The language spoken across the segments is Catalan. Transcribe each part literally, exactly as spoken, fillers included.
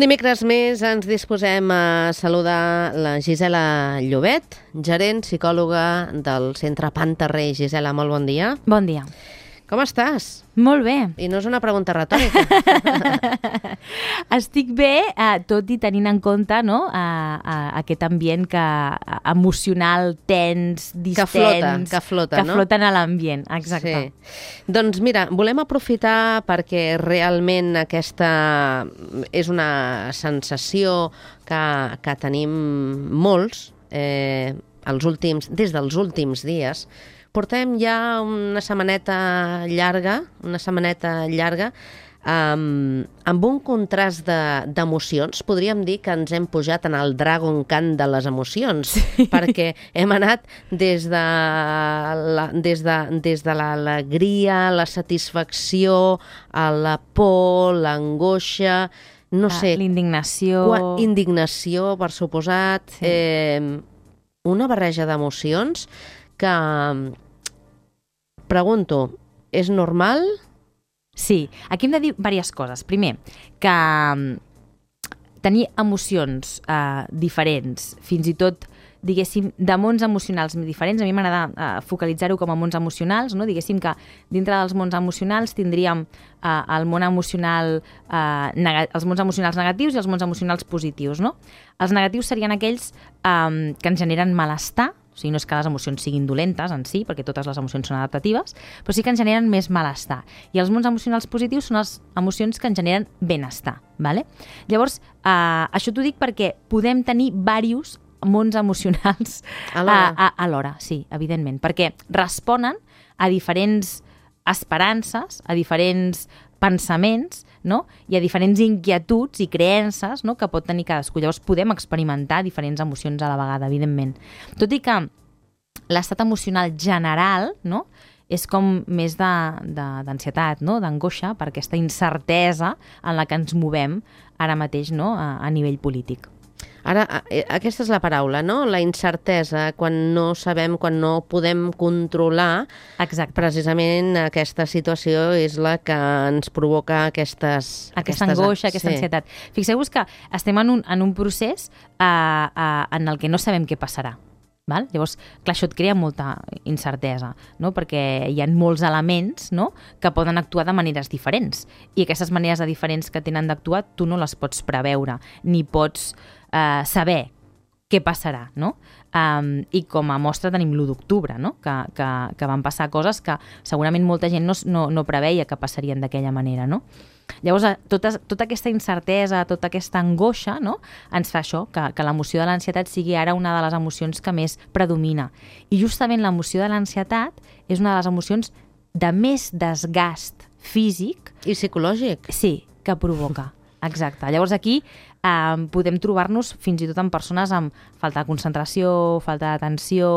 Un dimecres més ens disposem a saludar la Gisela Llobet, gerent psicòloga del Centre Panterrey. Gisela, molt bon dia. Bon dia. Com estàs? Molt bé. I no és una pregunta retòrica. Estic bé, eh, tot i tenint en compte no, eh, eh, aquest ambient que, emocional, tens, distens... Que flota, que flota, que no? floten a l'ambient, exacte. Sí. Doncs mira, volem aprofitar perquè realment aquesta és una sensació que, que tenim molts eh, els últims, des dels últims dies. Portem ja una setmaneta llarga, una setmaneta llarga, um, amb un contrast d'emocions. De, podríem dir que ens hem pujat en el Dragon Khan de les emocions, sí. Perquè hem anat des de la, des de, des de l'alegria, la satisfacció, a la por, l'angoixa, no ah, sé... L'indignació... Indignació, per suposat. Sí. Eh, una barreja d'emocions que, pregunto, és normal? Sí, aquí hem de dir diverses coses. Primer, que tenir emocions eh, diferents, fins i tot, diguéssim, de mons emocionals diferents, a mi m'agrada eh, focalitzar-ho com a mons emocionals, no? Diguéssim que dintre dels mons emocionals tindríem eh, el món emocional, eh, els mons emocionals negatius i els mons emocionals positius, no? Els negatius serien aquells eh, que ens generen malestar. O sigui, no és que les emocions siguin dolentes en si, perquè totes les emocions són adaptatives, però sí que ens generen més malestar. I els mons emocionals positius són les emocions que ens generen benestar. Vale? Llavors, eh, això t'ho dic perquè podem tenir diversos mons emocionals alhora, sí, evidentment, perquè responen a diferents esperances, a diferents pensaments, no? I a diferents inquietuds i creences, no? Que pot tenir cadascú. Llavors podem experimentar diferents emocions a la vegada, evidentment. Tot i que l'estat emocional general, no? És com més d'ansietat, no? D'angoixa, per aquesta incertesa en la que ens movem ara mateix, no? a, a nivell polític. Ara, aquesta és la paraula, no? La incertesa, quan no sabem, quan no podem controlar. Exacte. Precisament aquesta situació és la que ens provoca aquestes... Aquesta aquestes, angoixa, aquesta sí. ansietat. Fixeu-vos que estem en un, en un procés uh, uh, en el que no sabem què passarà. Val? Llavors, clar, això et crea molta incertesa, no? Perquè hi ha molts elements, no? Que poden actuar de maneres diferents. I aquestes maneres de diferents que tenen d'actuar, tu no les pots preveure, ni pots eh, saber què passarà, no? Um, I com a mostra tenim l'u d'octubre, no? Que, que, que van passar coses que segurament molta gent no, no, no preveia que passarien d'aquella manera, no? Llavors, tota, tota aquesta incertesa, tota aquesta angoixa, no? Ens fa això, que, que l'emoció de l'ansietat sigui ara una de les emocions que més predomina. I justament l'emoció de l'ansietat és una de les emocions de més desgast físic... I psicològic. Sí, que provoca. Exacte. Llavors aquí eh, podem trobar-nos fins i tot amb persones amb falta de concentració, falta d'atenció,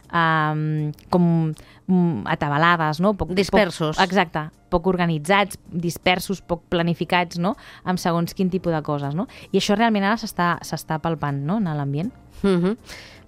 eh, com atabalades, no? Poc, dispersos. Poc, exacte. Poc organitzats, dispersos, poc planificats, no? Amb segons quin tipus de coses, no? I això realment ara s'està palpant, no? En l'ambient. Mm-hmm.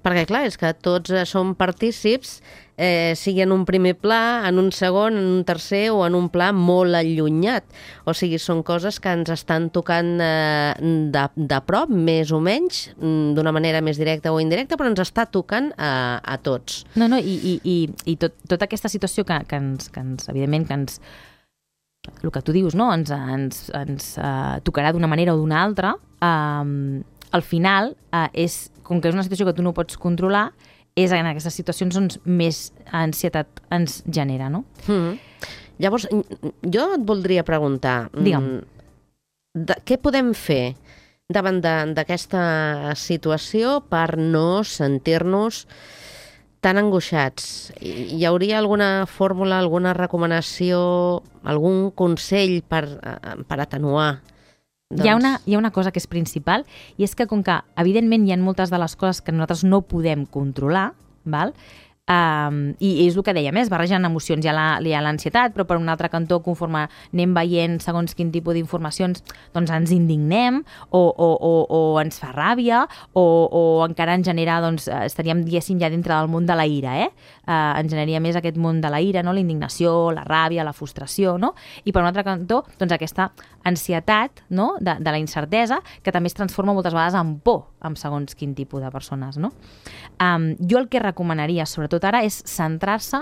Perquè, clar, és que tots eh, som partícips, eh, sigui en un primer pla, en un segon, en un tercer o en un pla molt allunyat. O sigui, són coses que ens estan tocant eh, de, de prop, més o menys, d'una manera més directa o indirecta, però ens està tocant a, a tots. No, no, i, i, i, i tot, tota aquesta situació que, que, ens, que ens, evidentment, que ens... el que tu dius, no? Ens, ens, ens uh, tocarà d'una manera o d'una altra, uh, al final, uh, és, com que és una situació que tu no pots controlar, és en aquestes situacions on més ansietat ens genera, no? Mm-hmm. Llavors, jo et voldria preguntar, Digue'm. De, què podem fer davant d'aquesta situació per no sentir-nos tan angoixats? Hi hauria alguna fórmula, alguna recomanació, algun consell per, per atenuar? Doncs... Hi ha, una, hi ha una cosa que és principal, i és que com que, evidentment, hi ha moltes de les coses que nosaltres no podem controlar, val? Um, i és el que dèiem, eh? Es barregen emocions, hi ha l'ansietat, però per un altre cantó, conforme anem veient segons quin tipus d'informacions, doncs ens indignem o, o, o, o ens fa ràbia o, o encara ens genera, doncs estaríem, diguéssim, ja dintre del món de la ira, eh? Uh, ens generaria més aquest món de la ira, no? La indignació, la ràbia, la frustració, no? I per un altre cantó, doncs aquesta ansietat, no? de, de la incertesa, que també es transforma moltes vegades en por amb segons quin tipus de persones, no? Um, jo el que recomanaria, sobretot ara, és centrar-se,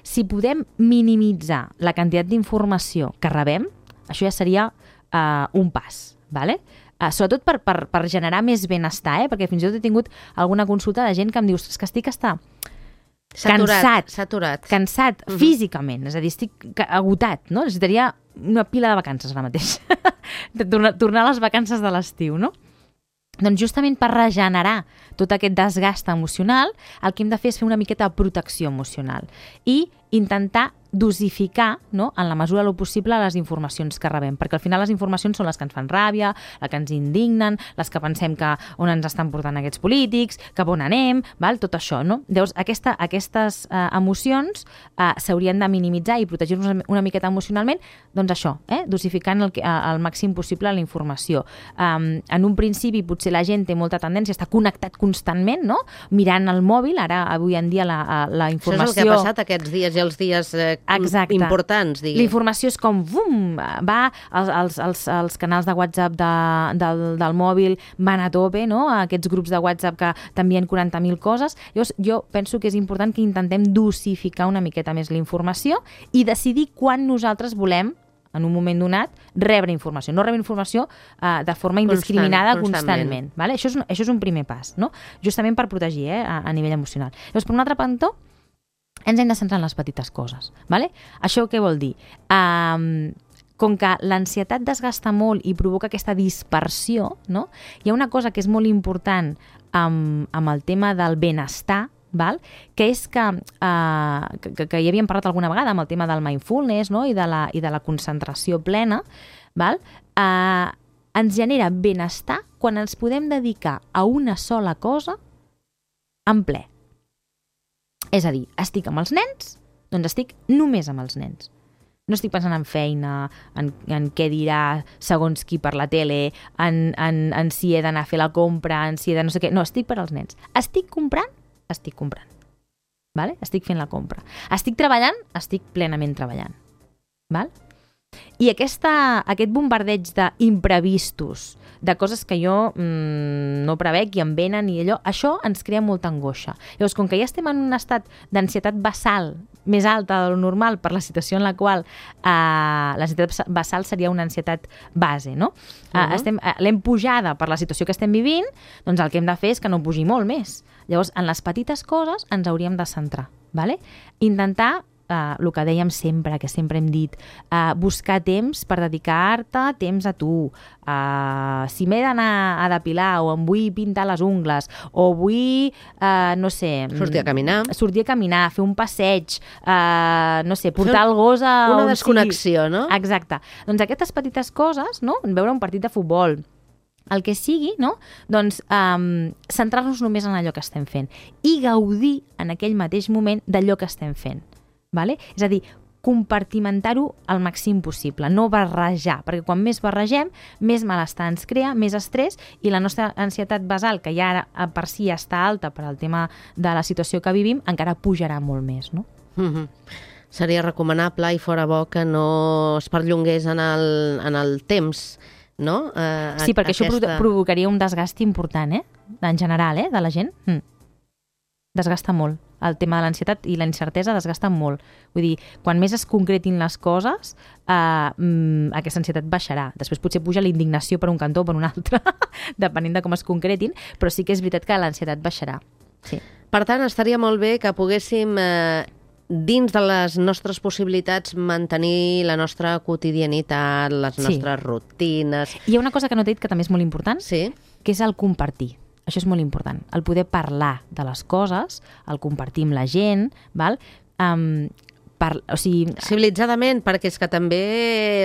si podem minimitzar la quantitat d'informació que rebem, això ja seria uh, un pas, ¿vale? Uh, sobretot per, per, per generar més benestar, eh? Perquè fins i tot he tingut alguna consulta de gent que em diu que estic està Saturat, cansat, saturat. cansat uh-huh. físicament, és a dir, estic agotat, no? Necessitaria una pila de vacances ara mateix, de tornar, tornar a les vacances de l'estiu, no? Doncs justament per regenerar tot aquest desgast emocional, el que hem de fer és fer una miqueta de protecció emocional i intentar dosificar, no, en la mesura del possible, les informacions que rebem, perquè al final les informacions són les que ens fan ràbia, les que ens indignen, les que pensem que on ens estan portant aquests polítics, cap on anem, val? Tot això, no? Llavors, aquesta, aquestes eh, emocions eh, s'haurien de minimitzar i protegir-nos una miqueta emocionalment, doncs això, eh? Dosificant el, el màxim possible la informació. Um, en un principi, potser la gent té molta tendència a estar connectat constantment, no? Mirant el mòbil, ara, avui en dia, la, la informació... Això és el que ha passat aquests dies i els dies eh, Exacte. importants, diguem. La informació és com, bum, va, els, els, els, els canals de WhatsApp de, del, del mòbil van a tope, no? Aquests grups de WhatsApp que t'envien quaranta mil coses. Llavors, jo penso que és important que intentem dosificar una miqueta més la informació i decidir quan nosaltres volem, en un moment donat, rebre informació. No rebre informació uh, de forma indiscriminada Constant, constantment. constantment vale? Això, és un, això és un primer pas, no? Justament per protegir eh, a, a nivell emocional. Llavors, per un altre cantó, ens hem de centrar en les petites coses. Vale? Això què vol dir? Um, com que l'ansietat desgasta molt i provoca aquesta dispersió, no? Hi ha una cosa que és molt important amb, amb el tema del benestar, val? Que és que, uh, que, que ja havíem parlat alguna vegada amb el tema del mindfulness, no? I, de la, i de la concentració plena, val? Uh, ens genera benestar quan ens podem dedicar a una sola cosa en ple. És a dir, estic amb els nens, doncs estic només amb els nens. No estic pensant en feina, en, en què dirà segons qui per la tele, en, en, en si he d'anar a fer la compra, en si he de no sé què. No, estic per als nens. Estic comprant? Estic comprant. Vale? Estic fent la compra. Estic treballant? Estic plenament treballant. Val? I aquesta, aquest bombardeig d'imprevistos, de coses que jo mmm, no prevec i em venen i allò, això ens crea molta angoixa. Llavors, com que ja estem en un estat d'ansietat basal més alta del normal per la situació en la qual eh, l'ansietat basal seria una ansietat base, no? Uh-huh. eh, estem, eh, l'hem pujada per la situació que estem vivint, doncs el que hem de fer és que no pugi molt més. Llavors, en les petites coses ens hauríem de centrar, vale? Intentar Uh, el que dèiem sempre, que sempre hem dit, uh, buscar temps per dedicar-te temps a tu. Uh, si m'he d'anar a depilar o em vull pintar les ungles o vull, uh, no sé... Sortir a caminar. Sortir a caminar, fer un passeig, uh, no sé, portar el gos a... Una desconnexió, sigui. No? Exacte. Doncs aquestes petites coses, no? Veure un partit de futbol, el que sigui, no? Doncs um, centrar-nos només en allò que estem fent i gaudir en aquell mateix moment d'allò que estem fent. Vale? És a dir, compartimentar-ho al màxim possible, no barrejar, perquè quan més barregem, més malestar ens crea, més estrès, i la nostra ansietat basal, que ja ara per si està alta per al tema de la situació que vivim, encara pujarà molt més, no? Mm-hmm. Seria recomanable i fora bo que no es perllongués en el, en el temps, no? Uh, sí, perquè aquesta... això provocaria un desgast important, eh? En general, eh? De la gent. Mm. Desgasta molt. El tema de l'ansietat i la incertesa desgasta molt. Vull dir, quan més es concretin les coses, eh, mm, aquesta ansietat baixarà. Després potser puja la indignació per un cantó o per un altre, depenent de com es concretin, però sí que és veritat que l'ansietat baixarà. Sí. Per tant, estaria molt bé que poguéssim, eh, dins de les nostres possibilitats, mantenir la nostra quotidianitat, les nostres sí. rutines... Hi ha una cosa que no t'he dit que també és molt important, sí. que és el compartir. Això és molt important, el poder parlar de les coses, el compartir amb la gent, val? Um, per, o sigui... Civilitzadament, perquè és que també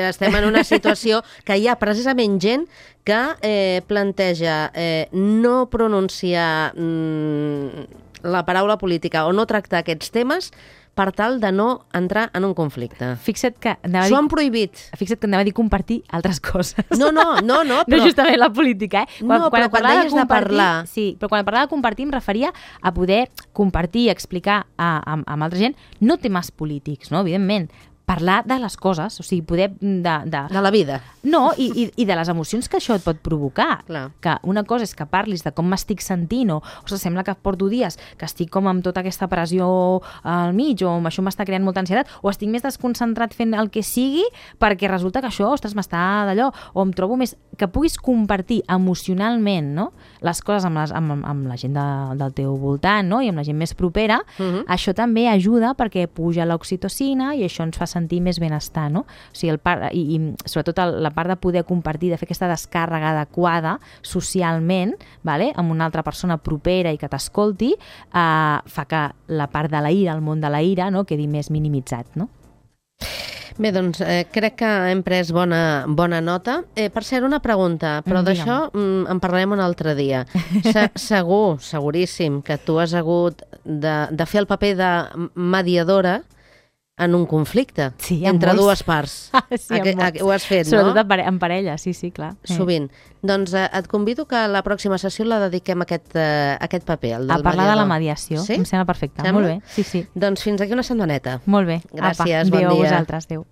estem en una situació que hi ha precisament gent que eh, planteja eh, no pronunciar mm, la paraula política o no tractar aquests temes per tal de no entrar en un conflicte. Fixa't que anava a S'ho dir, han prohibit. fixa't que anava a dir compartir altres coses. No, no, no, no, però... No justament la política, eh? No, però et quan parlava deies de parlar- Sí, però quan parlava de compartir em referia a poder compartir i explicar a, a, amb altra gent, no temes polítics, no? Evidentment, parlar de les coses, o sigui, poder... De, de... De la vida. No, i, i, i de les emocions que això et pot provocar. Clar. Que una cosa és que parlis de com m'estic sentint o, o sigui, sembla que porto dies que estic com amb tota aquesta pressió al mig o això m'està creant molta ansietat o estic més desconcentrat fent el que sigui perquè resulta que això, ostres, m'està d'allò o em trobo més... Que puguis compartir emocionalment, no?, les coses amb, les, amb, amb la gent de, del teu voltant, no?, i amb la gent més propera, Uh-huh. això també ajuda perquè puja l'oxitocina i això ens fa sentir més benestar, no? O sigui, el part, i, i sobretot el, la part de poder compartir, de fer aquesta descàrrega adequada socialment, vale? Amb una altra persona propera i que t'escolti, eh, fa que la part de la ira, el món de la ira, no?, quedi més minimitzat, no? Bé, doncs eh, crec que hem pres bona, bona nota. Eh, per cert, una pregunta, però Mm, d'això mm, en parlarem un altre dia. Se segur, seguríssim, que tu has hagut de, de fer el paper de mediadora en un conflicte Sí, en entre molts. dues parts. Sí, en Aqu- molts. aqu- ho has fet, Sobretot no? en pare- en parella, sí, sí, clar. Eh. Sovint. Doncs eh, et convido que la pròxima sessió la dediquem a aquest, eh, a aquest paper, el del A parlar de la mediador. mediació, Sí? em sembla perfecte. Sembla? Molt bé, sí, sí. Doncs fins aquí una setmaneta. Molt bé. Gràcies, Apa, bon adéu dia. a vosaltres, adéu.